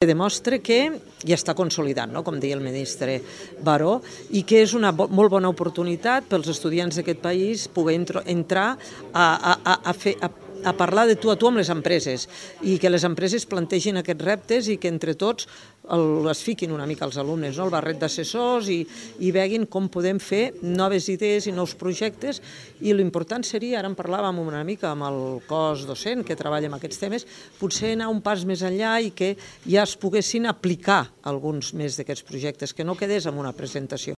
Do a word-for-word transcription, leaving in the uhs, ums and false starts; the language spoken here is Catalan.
Demostra que ja està consolidant, no? Com deia el ministre Baró, i que és una bo, molt bona oportunitat pels estudiants d'aquest país poder entrar a, a, a, fer, a, a parlar de tu a tu amb les empreses i que les empreses plantegin aquests reptes i que entre tots el, es fiquin una mica els alumnes, no? El barret d'assessors i, i veguin com podem fer noves idees i nous projectes, i l'important seria, ara en parlàvem una mica amb el cos docent que treballa en aquests temes, potser anar un pas més enllà i que ja es poguessin aplicar alguns més d'aquests projectes, que no quedés en una presentació.